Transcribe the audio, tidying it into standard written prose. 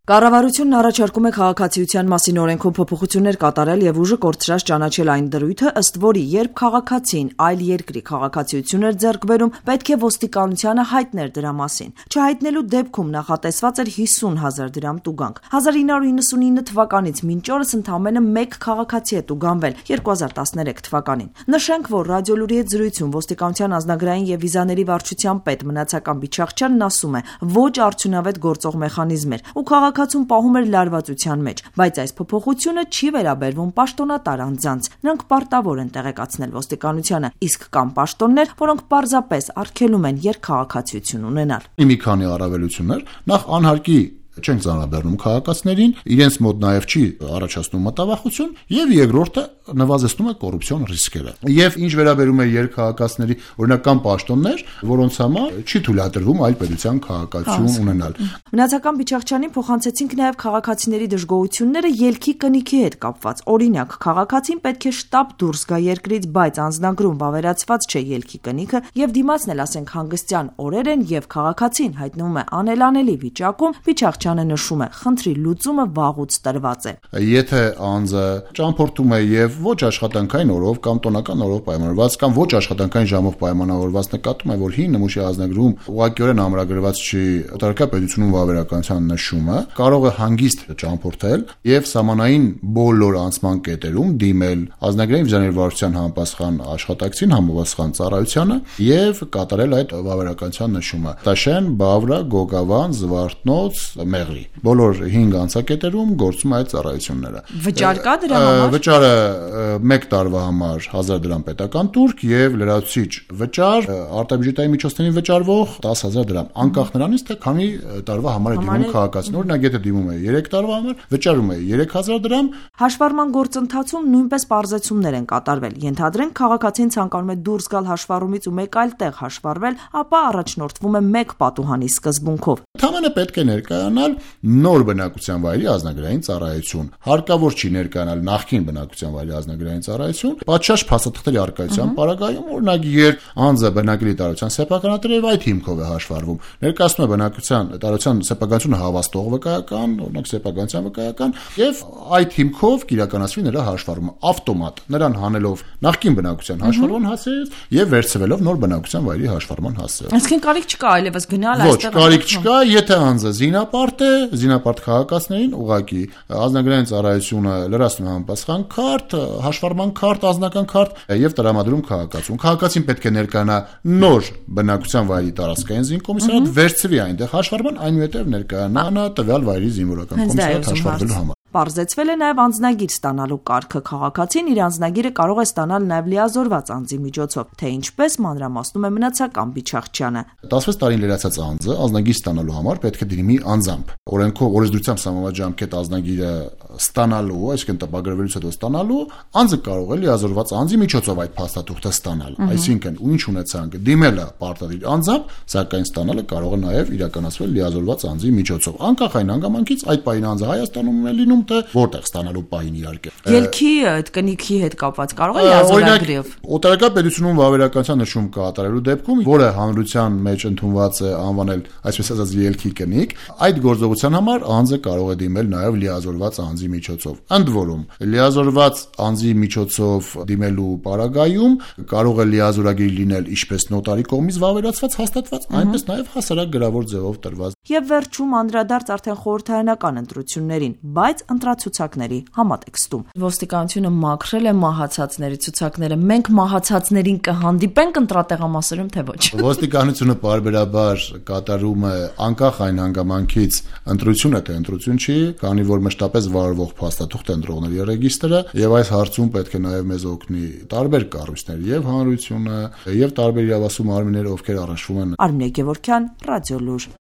Կառավարությունն առաջարկում է քաղաքացիության մասին օրենքում փոփոխություններ կատարել եւ ուժը կորցրած ճանաչել այն դրույթը, ըստ որի երբ քաղաքացին այլ երկրի քաղաքացիություն էր ձեռք բերում, պետք է ոստիկանությանը հայտներ դրա մասին։ Չհայտնելու դեպքում նախատեսված էր 50,000 դրամ տուգանք։ 1999 թվականից մինչ օրս ընդամենը 1 քաղաքացի է տուգանվել 2013 թվականին։ Նշենք, որ Ռադիոլուրի հետ զրույցում ոստիկանության անձնագրային եւ վիզաների վարչության պետ Մնացական Բիչախչյանն ասում է, ոչ արդյունավետ գործող մեխանիզմ էր ու քաղաքացուն պահում էր լարվածության մեջ, բայց այս փոփոխությունը չի վերաբերվում պաշտոնատար անձանց։ Նրանք պարտավոր են տեղեկացնել ոստիկանությանը, իսկ կան պաշտոններ, որոնք պարզապես արգելում են երկքաղաքացիություն ունենալ։ Մի քանի առավելություններ, նախ անհարկի չենք ծանրաբեռնում քաղաքացիներին, իրենց մոտ նաև չի առաջացնում մտավախություն, եւ երկրորդը նվազեցնում է կոռուպցիոն ռիսկերը։ Եվ ինչ վերաբերում է երկքաղաքացիների, օրինակ կան պաշտոններ, որոնց համար չի թույլատրվում այլ պետության քաղաքացիություն ունենալ։ Մնացական Բիչախչյանին փոխանցեցինք նաև քաղաքացիների դժգոհությունները ելքի կնիքի հետ կապված։ Օրինակ, քաղաքացին պետք է շտապ դուրս գա երկրից, բայց անձնագրում վավերացված չէ ելքի կնիքը, եւ դիմացն էլ ասենք հանգստյան օրեր են, եւ քաղաքացին հայտնվում է անելանելի վիճակում, Բիչախչյանը նշում է, խնդրի լուծումը վաղուց տրված է։ Եթե անձը ճամփորդում է եւ ոչ աշխատանքային օրով կամ տոնական օրով պայմանավորված կամ ոչ աշխատանքային ժամով պայմանավորված նկատում է, որ հին նմուշի ազնագրում ուղղակիորեն ամրագրված չի օտարակա պետությունում վավերականության նշումը, կարող է հանգիստ ճամփորդել եւ սահմանային բոլոր անցման կետերում դիմել ազնագրային վիզաների վարչության համապատասխան աշխատակցին, համապատասխան ծառայությանը եւ կատարել այդ վավերականության նշումը։ Տաշեն, Բավրա, Գոգավան, Զվարթնոց, Մեղրի։ Բոլոր 5 անցակետերում գործում է այդ ծառայությունները։ Վճար կա դրա համար։ Վճարը 1 տարվա համար 1000 դրամ պետական տուրք եւ լրացուցիչ վճար արտաբյուջետային միջոցներին վճարվող 10,000 դրամ, անկախ նրանից թե քանի տարվա համար է դիմում քաղաքացին։ Օրինակ, եթե դիմում է 3 տարվա համար, վճարում է 3000 դրամ։ Հաշվառման գործընթացում նույնպես պարզեցումներ են կատարվել։ Ենթադրենք, քաղաքացին ցանկանում է դուրս գալ հաշվառումից ու մեկ այլ տեղ հաշվառվել, ապա առաջնորդվում է 1 պատուհանի սկզբունքով։ Ընդհանրապես պետք է ներկայանալ նոր բնակության վայրի ազնագրային ծառայություն։ Հարկավոր չի ներկայանալ նախկին բնակության վայրի ազնագրային ծառայություն, պատշաճ փաստաթղթերի առկայության պարագայում, օրինակ, երբ անձը բնակելի տարածության սեփականատեր է եւ այդ հիմքով է հաշվառվում, ներկայացնում է բնակության տարածության սեփականությունը հավաստող վկայական, օրինակ սեփականության վկայական, եւ այդ հիմքով կիրականացվի նրա հաշվառումը ավտոմատ, նրան հանելով նախկին բնակության հաշվառման հասցեից եւ վերցվելով նոր բնակության վայրի հաշվառման հասցեով։ Այսինքն կարիք չկա այլևս գնալ այստեղ։ Ոչ, կարիք չկա, եթե անձը զինապարտ է, զինապարտ քաղաքացիներին ուղղակի ազնագրային ծառայությունը լրացնում է համապատասխան քարտ, հաշվառման քարտ, անձնական քարտ եւ տրամադրում քաղաքացուն։ Քաղաքացին պետք է ներկայանա նոր բնակության վայրի տարածքային զինկոմիսարիատ, վերցվի այնտեղ հաշվառման, այնուհետեւ ներկայանա տվյալ վայրի զինվորական կոմիսարիատ հաշվառվելու համար։ Պարզեցվել է նաև անձնագիր ստանալու կարգը։ Քաղաքացին իր անձնագիրը կարող է ստանալ նաև լիազորված անձի միջոցով, թե ինչպես մանրամասնում է Մնացական Բիչախչյանը։ 16 տարին լրացած անձը անձնագիր ստանալու համար պետք է դիմի անձամբ։ Օրենքով օրենսդրությամբ սահմանված ժամկետ անձնագիրը ստանալու, այսինքն տպագրվելուց հետո ստանալու, անձը կարող է լիազորված անձի միջոցով այդ փաստաթուղթը ստանալ։ Այսինքն, ինչ ունեցանք, դիմելը պարտադիր անձամբ, սակայն ստանալը կարող է նաև իրականացվել լիազորված անձի միջոցով։ Անկախ այն հանգամանքից, այդ պահին անձը Հայաստանում է լինում, թե որտեղ ստանալու պահին իհարկե։ Ելքի այդ կնիքի հետ կապված կարող է լիազորագրով։ Օտարակա պետությունում վավերականության նշում կատարելու դեպքում, որը հանրության մեջ ընդունված է անվանել, այսպես ասած, ելքի կնիկ, այդ գործողության համար անձը կարող է դիմել նաև լիազորված անձի միջոցով։ Ընդ որում, լիազորված անձի միջոցով դիմելու պարագայում կարող է լիազորագիր լինել ինչպես նոտարի կողմից վավերացված, հաստատված, այնպես նաև հասարակ գրավոր ձևով տրված։ Եվ վերջում անդրադարձ արդեն խորհրդարանական ընտրություններին, բայց ընտրացուցակների համատեքստում։ Ոստիկանությունը մաքրել է մահացածների ցուցակները։ Մենք մահացածներին կհանդիպենք ընտրատեղամասերում, թե ոչ։ Ոստիկանությունը պարբերաբար կատարում է անկախ այն հանգամանքից ընտրությունը թե ընտրություն չի, քանի որ մշտապես վարվող փաստաթուղթ է ընտրողների ռեգիստրը, եւ այս հարցում պետք է նաեւ մեզ օգնի տարբեր կառույցներ, եւ հանրությունը, եւ տարբեր իրավասու մարմիններ, ովքեր առնչվում են։ Արմինե Գևորգյան, Ռադիոլուր։